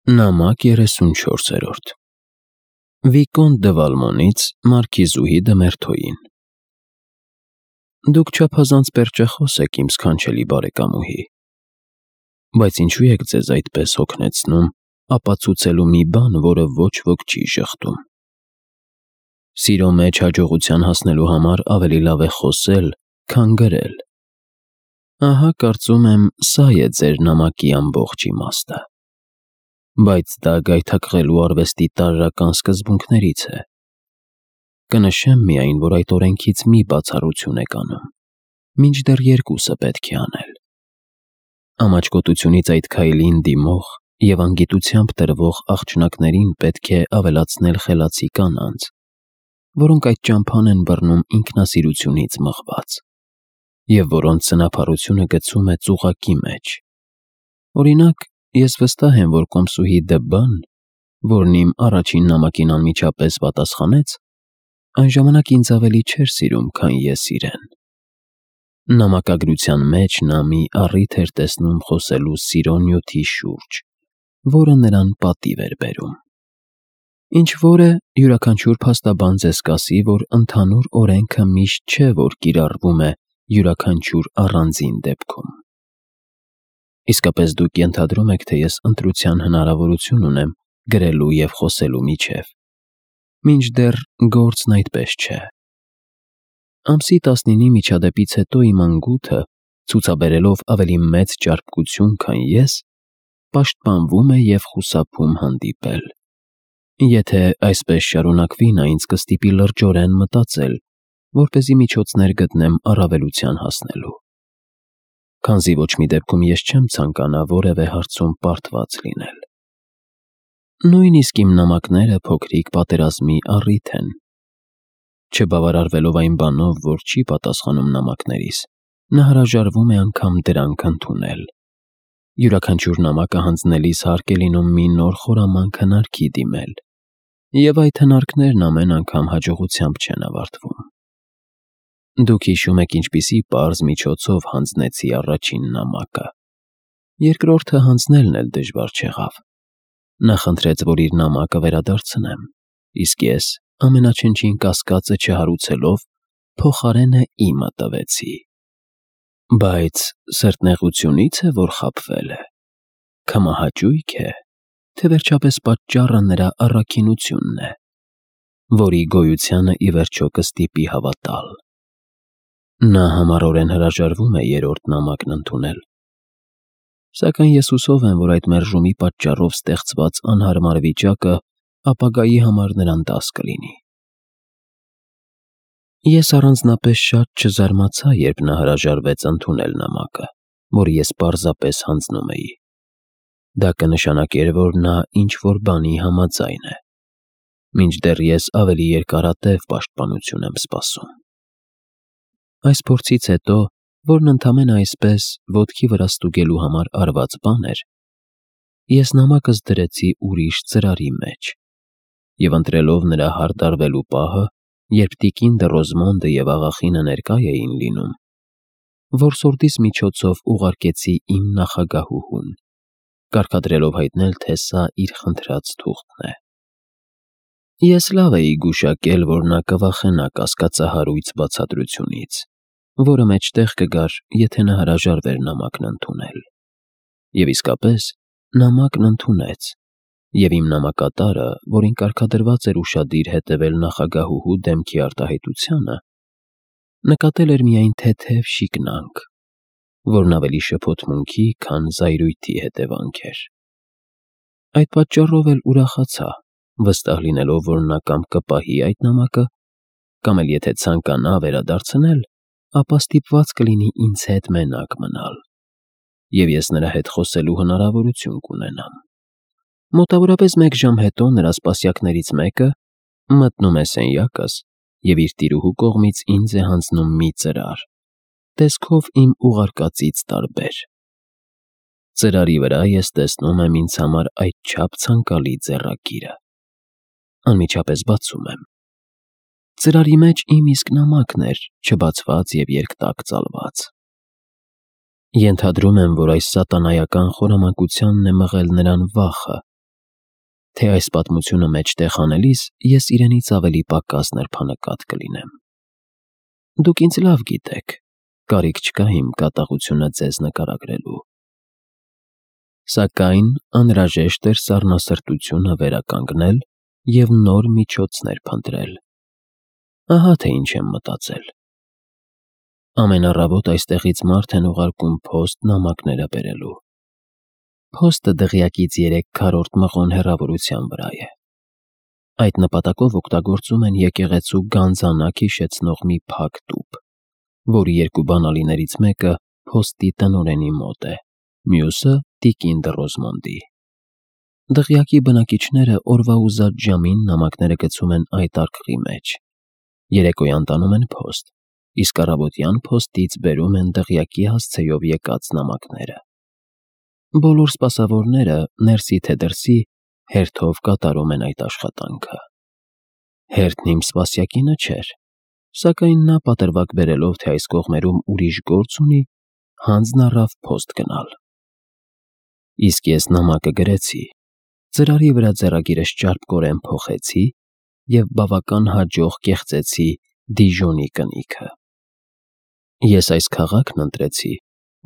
Նամակ 34-րդ Վիկոնտ դը Վալմոնից մարքիզուհի դը Մերթոյին Դուք չափազանց պերճախոս եք, իմ սքանչելի բարեկամուհի, բայց ինչու եք ձեզ այդպես հոգնեցնում ապացուցելու մի բան, որը ոչ ոք չի ժխտում։ Սիրո մեջ հաջողության հասնելու համար ավելի լավ է խոսել, քան գրել։ Ահա կարծում եմ, սա է ձեր նամակի ամբողջ իմաստը։ Բայց դա գայթակղելու արվեստի տարրական սկզբունքներից է։ Կնշեմ միայն, որ այդ օրենքից մի բացառություն եք անում, մինչդեռ երկուսը պետք է անել։ Ամաչկոտությունից այդ քայլին դիմող և անգիտությամբ տրվող աղջնակներին պետք է ավելացնել խելացի կանանց, որոնք այդ ճամփան են բռնում ինքնասիրությունից մղված, և որոնց սնափառությունը գցում է ծուղակի մեջ։ Օրինակ, ես վստահ եմ, որ կոմսուհի դը Բ-ն, որն իմ առաջին նամակին անմիջապես պատասխանեց, այն ժամանակ ինձ ավելի չէր սիրում, քան ես իրեն։ Նամակագրության մեջ նա մի առիթ էր տեսնում խոսելու սիրո նյութի շուրջ, որը նրան պատիվ էր բերում։ Ինչ-որ է, յուրաքանչյուր փաստաբան ձեզ կասի, որ ընդհանուր օրենքը միշտ չէ, որ կիրառվում է յուրաքանչյուր առանձին դեպքում։ Իսկապես դուք ենթադրում եք, թե ես ընտրության հնարավորություն ունեմ գրելու և խոսելու միջև, մինչդեռ գործն այդպես չէ։ Ամսի 19-ի միջադեպից հետո իմ անգութը, ցուցաբերելով ավելի մեծ ճարպկություն, քան ես, պաշտպանվում է և խուսափում հանդիպել։ Եթե այսպես շարունակվի, նա ինձ կստիպի լրջորեն մտածել, որպեսզի միջոցներ գտնեմ առավելության հասնելու։ Քանզի ոչ մի դեպքում ես չեմ ցանկանա որևէ հարցում պարտված լինել։ Նույնիսկ իմ նամակները փոքրիկ պատերազմի առիթ են։ Չբավարարվելով այն բանով, որ չի պատասխանում նամակներիս, նա հրաժարվում է անգամ դրանք ընդունել։ Յուրաքանչյուր նամակը հանձնելիս հարկ է լինում մի նոր խորամանկ հնարքի դիմել, և այդ հնարքներն ամեն անգամ հաջողությամբ չեն ավարտվում։ Դուք հիշում եք, ինչպիսի պարզ միջոցով հանձնեցի առաջին նամակը։ Երկրորդը հանձնելն էլ դժվար չեղավ։ Նա խնդրեց, որ իր նամակը վերադարձնեմ, իսկ ես, ամենաչնչին կասկածը չհարուցելով, փոխարենը իմը տվեցի։ Բայց սրտնեղությունի՞ց է, որ խաբվել է, քմահաճույք է, թե վերջապես պատճառը նրա առաքինությունն է, որի գոյությանը ի վերջո կստիպի հավատալ։ Նա համառորեն հրաժարվում է երրորդ նամակն ընդունել, սակայն ես հուսով եմ, որ այդ մերժումի պատճառով ստեղծված անհարմար վիճակը ապագայի համար նրան դաս կլինի։ Ես առանձնապես շատ չզարմացա, երբ նա հրաժարվեց ընդունել նամակը, որ ես պարզապես հանձնում էի։ Դա կնշանակեր, որ նա ինչ-որ բանի համաձայն է, մինչդեռ ես ավելի երկարատև պաշտպանություն եմ սպասում։ Այս փորձից հետո, որն ընդամենը այսպես ոտքի վրա ստուգելու համար արված բան էր, ես նամակս դրեցի ուրիշ ծրարի մեջ, և ընտրելով նրա հարդարվելու պահը, երբ տիկին դը Ռոզմոնդը և աղախինը ներկա էին լինում, որսորդիս միջոցով ուղարկեցի իմ նախագահուհուն, կարգադրելով հայտնել, թե սա իր խնդրած թուղթն է։ Ես լավ էի գուշակել, որ նա կվախենա կասկածահարույց բացատրությունից, որը մեջտեղ կգար, եթե նա հրաժարվեր նամակն ընդունել։ Եվ իսկապես, նամակն ընդունեց, և իմ նամակատարը, որին կարգադրված էր ուշադիր հետևել նախագահուհու դեմքի արտահայտությանը, նկատել էր միայն թեթև շիկնանք, որն ավելի շփոթմունքի, քան զայրույթի հետևանք էր։ Այդ պատճառով էլ ուրախացա, վստահ լինելով, որ նա կամ կպահի այդ նամակը, կամ էլ եթե ցանկանա վերադարձնել, ապա ստիպված կլինի ինձ հետ մենակ մնալ, և ես նրա հետ խոսելու հնարավորություն կունենամ։ Մոտավորապես 1 ժամ հետո նրա սպասյակներից մեկը մտնում է սենյակս և իր տիրուհու կողմից ինձ է հանձնում մի ծրար, տեսքով իմ ուղարկածից տարբեր։ Ծրարի վրա ես տեսնում եմ ինձ համար այդչափ ցանկալի ձեռագիրը։ Անմիջապես բացում եմ։ Ծրարի մեջ իմ իսկ նամակն էր, չբացված և երկտակ ծալված։ Ենթադրում եմ, որ այս սատանայական խորամանկությանն է մղել նրան վախը, թե այս պատմությունը մեջտեղ անելիս ես իրենից ավելի պակաս նրբանկատ կլինեմ։ Դուք ինձ լավ գիտեք, կարիք չկա իմ կատաղությունը ձեզ նկարագրելու։ Սակայն անհրաժեշտ էր սառնասրտությունը վերականգնել և նոր միջոցներ փնտրել։ Ահա թե ինչ եմ մտածել։ Ամեն առավոտ այստեղից մարդ են ուղարկում փոստ նամակները բերելու։ Փոստը դղյակից 3 քառորդ մղոն հեռավորության վրա է։ Այդ նպատակով օգտագործում են եկեղեցու գանձանակ հիշեցնող մի փակ տուփ, որի 2 բանալիներից մեկը փոստի տնօրենի մոտ է, մյուսը տիկին Դռոզմոնդի։ Դղյակի բնակիչները օրվա ուզած ժամին նամակները գցում են այդ արկղի մեջ։ Երեկոյան տանում են փոստ, իսկ առավոտյան փոստից բերում են դղյակի հասցեով եկած նամակները։ Բոլոր սպասավորները ներսի թե դրսի հերթով կատարում են այդ աշխատանքը։ Հերթն իմ սպասյակինը չէր, սակայն նա պատրվակ բերելով, թե այս կողմերում ուրիշ գործ ունի, հանձն առավ փոստ գնալ։ Իսկ ես նամակը գրեցի, ծրարի վրա ձեռագիրս ճարպկորեն փոխեցի և բավական հաջող կեղծեցի Դիժոնի կնիքը։ Ես այս քաղաքն ընտրեցի,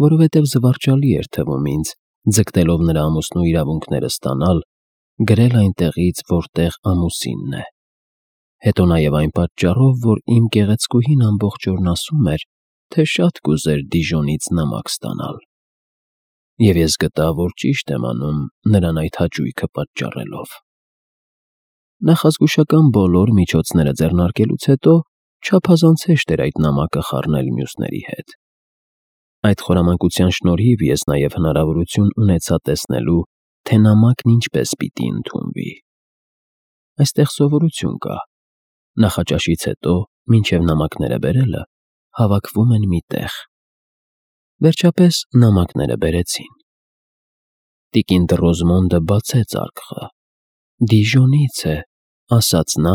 որովհետև զվարճալի էր թվում ինձ, ձգտելով նրա ամուսնու իրավունքները ստանալ, գրել այնտեղից, որտեղ ամուսինն է։ Հետո նաև այն պատճառով, որ իմ գեղեցկուհին ամբողջ օրն ասում էր, թե շատ կուզեր Դիժոնից նամակ ստանալ։ Եվ ես գտա, որ ճիշտ եմ անում նրան այդ հաճույքը պատճառելով։ Նախազգուշական բոլոր միջոցները ձեռնարկելուց հետո չափազանց հեշտ էր այդ նամակը խառնել մյուսների հետ։ Այդ խորամանկության շնորհիվ ես նաև հնարավորություն ունեցա տեսնելու, թե նամակն ինչպես պիտի ընդունվի։ Այստեղ սովորություն կա։ Նախաճաշից հետո, մինչև նամակները բերելը, հավաքվում են մի տեղ։ Վերջապես նամակները բերեցին։ Տիկին Դռոզմոնդը բացեց արկղը։ «Դիժոնից է», ասաց նա,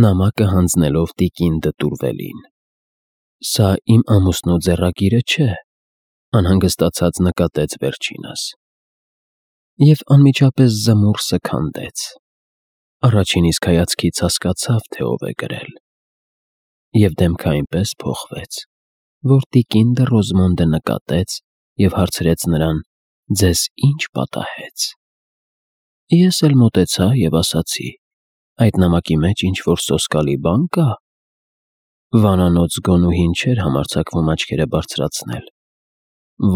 նամակը հանձնելով տիկին Դտուրվելին։ «Սա իմ ամուսնու ձեռագիրը չէ», անհանգստացած նկատեց վերջինս։ Եվ անմիջապես զմուռսը քանդեց։ Առաջին իսկ հայացքից հասկացավ, թե ով է գրել։ Եվ դեմքը այնպես փոխվեց, որ տիկին Դռոզմոնդը նկատեց և հարցրեց նրան. «Ձեզ ի՞նչ պատահեց»։ Ես էլ մոտեցա և ասացի. «Այդ նամակի մեջ ինչ-որ սոսկալի բան կա»։ Վանանոց գոնուհին չէր համարձակվում աչքերը բարձրացնել։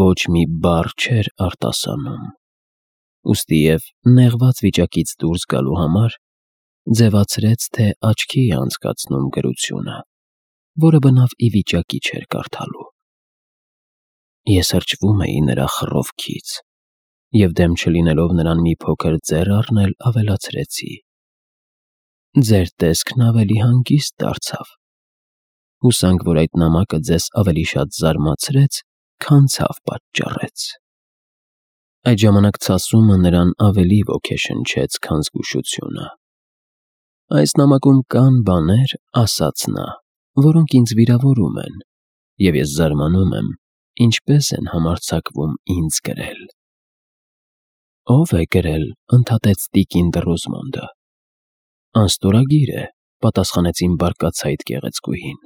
Ոչ մի բառ չէր արտասանում։ Ուստի և նեղված վիճակից դուրս գալու համար ձևացրեց, թե աչքի է անցկացնում գրությունը, որը բնավ ի վիճակի չէր կարդալու։ Ես հրճվում էի նրա խռովքից և դեմ չլինելով նրան մի փոքր ձեռ առնել, ավելացրեցի. «Ձեր տեսքն ավելի հանգիստ դարձավ։ Հուսանք, որ այդ նամակը ձեզ ավելի շատ զարմացրեց, քան ցավ պատճառեց»։ Այդ ժամանակ ցասումը նրան ավելի ոգեշնչեց, քան զգուշությունը։ «Այս նամակում կան բաներ, — ասաց նա, — որոնք ինձ վիրավորում են, և ես զարմանում եմ, ինչպես են համարձակվում ինձ գրել»։ «Ո՞վ է գրել», — ընդհատեց տիկին Դռոզմոնդը։ «Անստորագիր է», — պատասխանեց իմ բարկացայիտ գեղեցկուհին։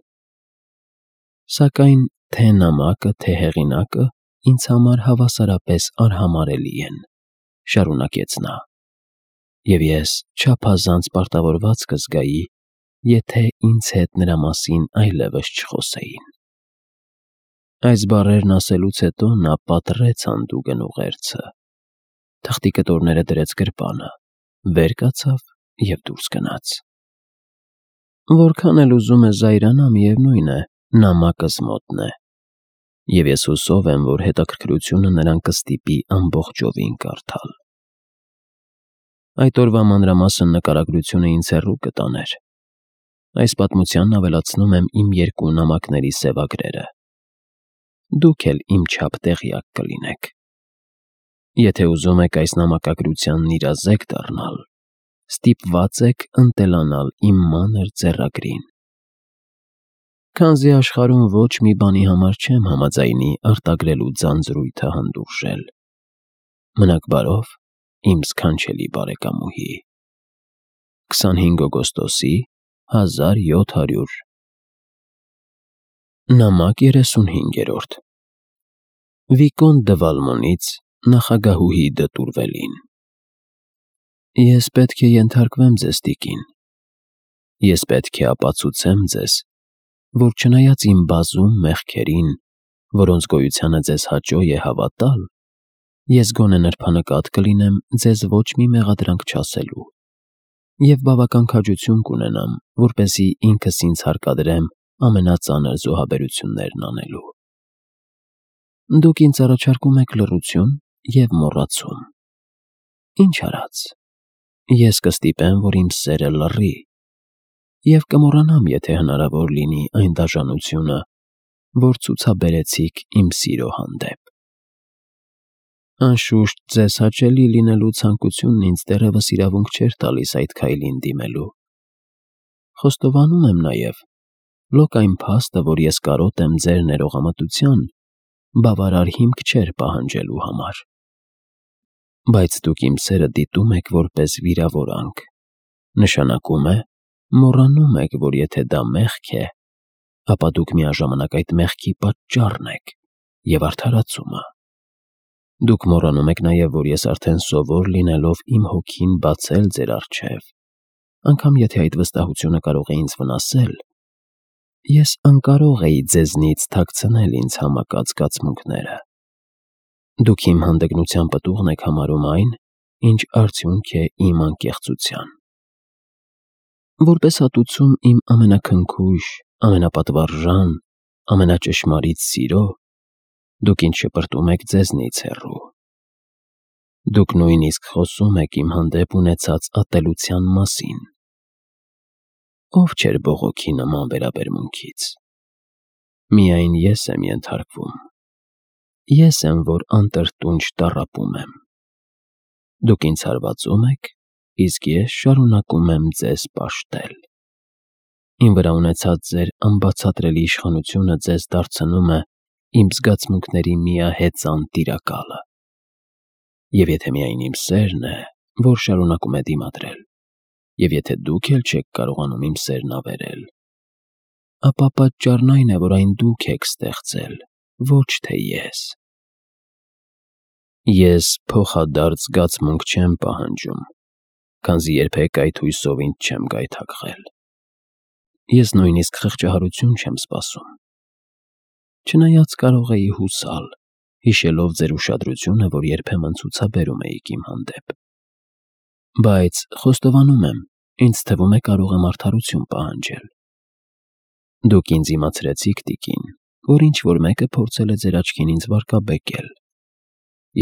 «Սակայն թե նամակը, թե հեղինակը ինձ համար հավասարապես արհամարհելի են», — շարունակեց նա, «և ես չափազանց պարտավորված կզգայի, եթե ինձ հետ նրա մասին այլևս չխոսեին»։ Այս բառերն ասելուց հետո նա պատռեց հանդուգն ուղերձը, թղթի կտորները դրեց գրպանը, վեր կացավ և դուրս գնաց։ Որքան էլ ուզում է զայրանա, միևնույն է, նամակս մոտն է, և ես հուսով եմ, որ հետաքրքրությունը նրան կստիպի ամբողջովին կարդալ։ Այդ օրվա մանրամասն նկարագրությունը ինձ հեռու կտաներ։ Այս պատմությանն ավելացնում եմ իմ 2 նամակների սևագրերը։ Դուք էլ իմ չափ տեղյակ կլինեք։ Եթե ուզում եք այս նամակագրությանն իրազեկ դառնալ, ստիպված եք ընտելանալ իմ մանր ձեռագրին։ Քանզի աշխարհում ոչ մի բանի համար չեմ համաձայնի արտագրելու ձանձրույթը հանդուրժել։ Մնաք բարով, իմ սքանչելի բարեկամուհի։ 25 օգոստոսի 1700 Նամակ 35 Վիկոն դը Վալմոնից նախագահուհի դտուրվելին Ես պետք է ենթարկվեմ ձեզ, տիկին, ես պետք է ապացուցեմ ձեզ, որ չնայած իմ բազում մեղքերին, որոնց գոյությանը ձեզ հաճո է հավատալ, ես գոնե նրբանկատ կլինեմ ձեզ ոչ մի մեղադրանք չասելու և բավական քաջություն կունենամ, որպեսզի ինքս ինձ հարկադրեմ ամենածանր զոհաբերություններն անելու։ Դուք ինձ առաջարկում եք լռություն և մոռացում։ Ինչ արած, ես կստիպեմ, որ իմ սերը լռի և կմոռանամ, եթե հնարավոր լինի, այն դաժանությունը, որ ցուցաբերեցիք իմ սիրո հանդեպ։ Անշուշտ, ձեզ հաճելի լինելու ցանկությունն ինձ դեռևս իրավունք չէր տալիս այդ քայլին դիմելու։ Խոստովանում եմ նաև, լոկ այն փաստը, որ ես կարոտ եմ ձեր ներողամտության, բավարար հիմք չէր պահանջելու համար։ Բայց դուք իմ սերը դիտում եք որպես վիրավորանք, նշանակում է, մոռանում եք, որ եթե դա մեղք է, ապա դուք միաժամանակ այդ մեղքի պատճառն եք և արդարացումը։ Դուք մոռանում եք նաև, որ ես արդեն սովոր լինելով իմ հոգին բացել ձեր առջև, անգամ եթե այդ վստահությունը կարող է ինձ վնասել, ես անկարող էի ձեզնից թաքցնել ինձ համակած զգացմունքները։ Դուք իմ հանդգնության պտուղն եք համարում այն, ինչ արդյունք է իմ անկեղծության։ Որպես հատուցում իմ ամենաքնքուշ, ամենապատվարժան, ամենաճշմարիտ սիրո, դուք ինձ շպրտում եք ձեզնից հեռու։ Դուք նույնիսկ խոսում եք իմ հանդեպ ունեցած ատելության մասին։ Ով չէր բողոքի նման վերաբերմունքից։ Միայն ես եմ ենթարկվում։ Ես եմ, որ անտրտունջ տառապում եմ։ Դուք ինձ հարվածում եք, իսկ ես շարունակում եմ ձեզ պաշտել։ Իմ վրա ունեցած ձեր անբացատրելի իշխանությունը ձեզ դարձնում է իմ զգացմունքների միահեծան տիրակալը։ Եվ եթե միայն իմ սերն է, որ շարունակում է դիմադրել, և եթե դուք էլ չեք կարողանում իմ սերն ավերել, ապա պատճառն այն է, որ այն դուք եք ստեղծել, ոչ թե ես։ Ես փոխադարձ զգացմունք չեմ պահանջում, քանզի երբեք այդ հույսով ինձ չեմ գայթակղել։ Ես նույնիսկ խղճահարություն չեմ սպասում։ Չնայած կարող էի հուսալ, հիշելով ձեր ուշադրությունը, որ երբեմն ցուցաբերում էիք իմ հանդեպ։ Բայց խոստովանում եմ, ինձ թվում է կարող եմ արդարություն պահանջել։ Դուք ինձ իմացրեցիք, տիկին, որ ինչ-որ մեկը փորձել է ձեր աչքին ինձ վարկաբեկել։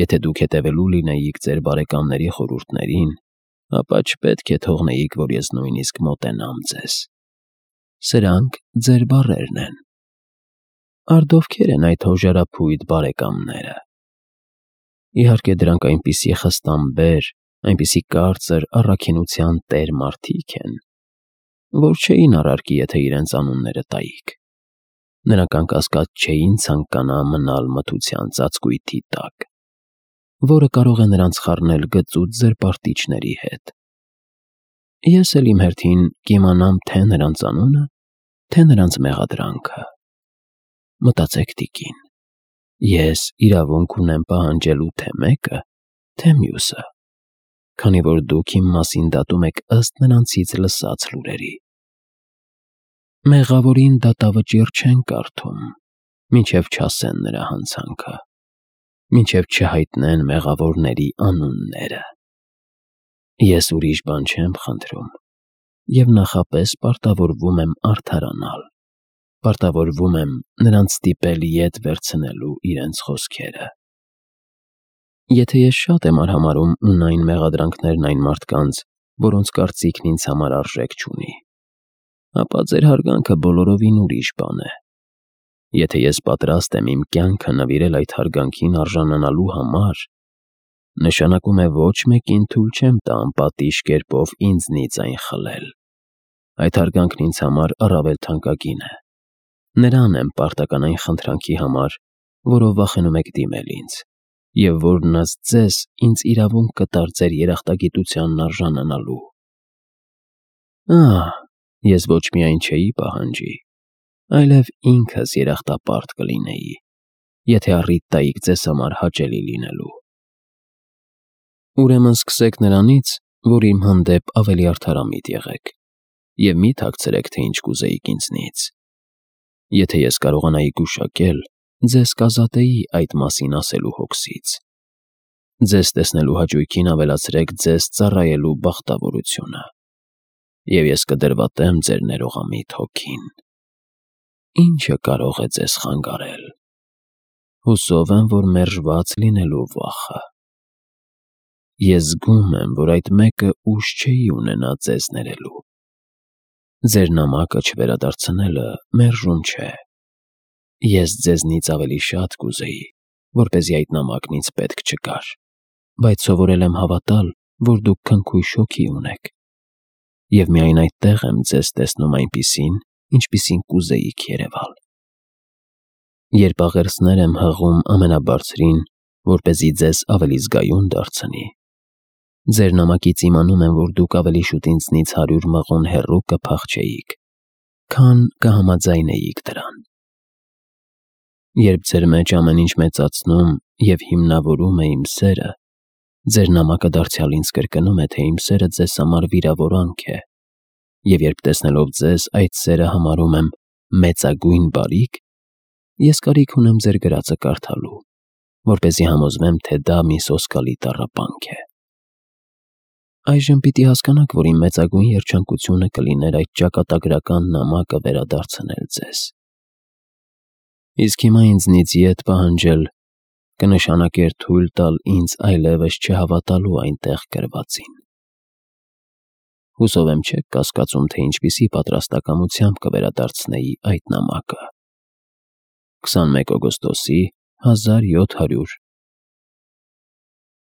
Եթե դուք հետևելու լինեիք ձեր բարեկամների խորհուրդներին, ապա չպետք է թողնեիք, որ ես նույնիսկ մոտենամ ձեզ։ Սրանք ձեր բառերն են։ Արդ ովքեր են այդ հոժարափույտ բարեկամները։ Իհարկե դրանք այնպիսի խստամբեր, այնպիսի կարծր առաքինության տեր մարդիկ են, որ չէին առարկի, եթե իրենց անունները տայիք։ Նրանք անկասկած չէին ցանկանա մնալ մթության ծածկույթի տակ, որը կարող է նրանց խառնել գծուծ զրպարտիչների հետ։ Ես էլ իմ հերթին կիմանամ թե նրանց անունը, թե նրանց մեղադրանքը։ Մտածեք, տիկին, ես իրավունք ունեմ պահանջելու թե մեկը, թե մյուսը, քանի որ դուք իմ մասին դատում եք ըստ նրանցից լսած լուրերի։ Մեղավորին դատավճիռ չեն կարդում, մինչև չասեն նրա հանցանքը, մինչև չհայտնեն մեղավորների անունները։ Ես ուրիշ բան չեմ խնդրում և նախապես պարտավորվում եմ արդարանալ, պարտավորվում եմ նրանց ստիպել ետ վերցնելու իրենց խոսքերը։ Եթե ես շատ եմ արհամարհում ունայն մեղադրանքներն այն մարդկանց, որոնց կարծիքն ինձ համար արժեք չունի, ապա ձեր հարգանքը բոլորովին ուրիշ բան է։ Եթե ես պատրաստ եմ իմ կյանքը նվիրել այդ հարգանքին արժանանալու համար, նշանակում է ոչ մեկին թույլ չեմ տա անպատիժ կերպով ինձնից այն խլել։ Այդ հարգանքն ինձ համար առավել թանկագին է։ Նրան եմ պարտական այն խնդրանքի համար, որով վախենում եք դիմել ինձ, և որն ըստ ձեզ ինձ իրավունք կտար ձեր երախտագիտությանն արժանանալու։ Ես ոչ միայն չէի պահանջի, այլև ինքս երախտապարտ կլինեի, եթե առիթ տայիք ձեզ համար հաճելի լինելու։ Ուրեմն սկսեք նրանից, որ իմ հանդեպ ավելի արդարամիտ եղեք, և մի թաքցրեք, թե ինչ կուզեիք ինձնից։ Եթե ես կարողանայի գուշակել, ձեզ կազատեի այդ մասին ասելու հոգսից։ Ձեզ տեսնելու հաճույքին ավելացրեք ձեզ ծառայելու բախտավորությունը, և ես կդրվատեմ ձեր ներողամիտ հոգին։ Ինչը կարող է ձեզ խանգարել։ Հուսով եմ, որ մերժված լինելու վախը։ Ես զգում եմ, որ այդ մեկը ուժ չէի ունենա ձեզ ներելու։ Ձեր նամակը չվերադարձնելը մերժում չէ։ Ես ձեզնից ավելի շատ կուզեի, որպեսզի այդ նամակն ինձ պետք չգար, բայց սովորել եմ հավատալ, որ դուք քնքույշ հոգի ունեք, և միայն այդտեղ եմ ձեզ տեսնում այնպիսին, ինչպիսին կուզեիք երևալ։ Երբ աղերսներ եմ հղում ամենաբարձրին, որպեսզի ձեզ ավելի զգայուն դարձնի, ձեր նամակից իմանում եմ, որ դուք ավելի շուտ ինձնից 100 մղոն հեռու կփախչեիք, քան կհամաձայնեիք դրան։ Երբ ձեր մեջ ամեն ինչ մեծացնում և հիմնավորում է իմ սերը, ձեր նամակը դարձյալ ինձ կրկնում է, թե իմ սերը ձեզ համար վիրավորանք է, և երբ տեսնելով ձեզ այդ սերը համարում եմ մեծագույն բարիք, ես կարիք ունեմ ձեր գրածը կարդալու, որպեսզի համոզվեմ, թե դա մի սոսկալի տառապանք է։ Այժմ պիտի հասկանաք, որ իմ մեծագույն երջանկությունը կլիներ այդ ճակատագրական նամակը վերադարձնել ձեզ։ Իսկ հիմա ինձնից ետ պահանջել կնշանակեր թույլ տալ ինձ այլևս չհավատալու այնտեղ գրվածին։ Հուսով եմ չեք կասկածում, թե ինչպիսի պատրաստակամությամբ կվերադարձնեի այդ նամակը։ 21 օգոստոսի 1700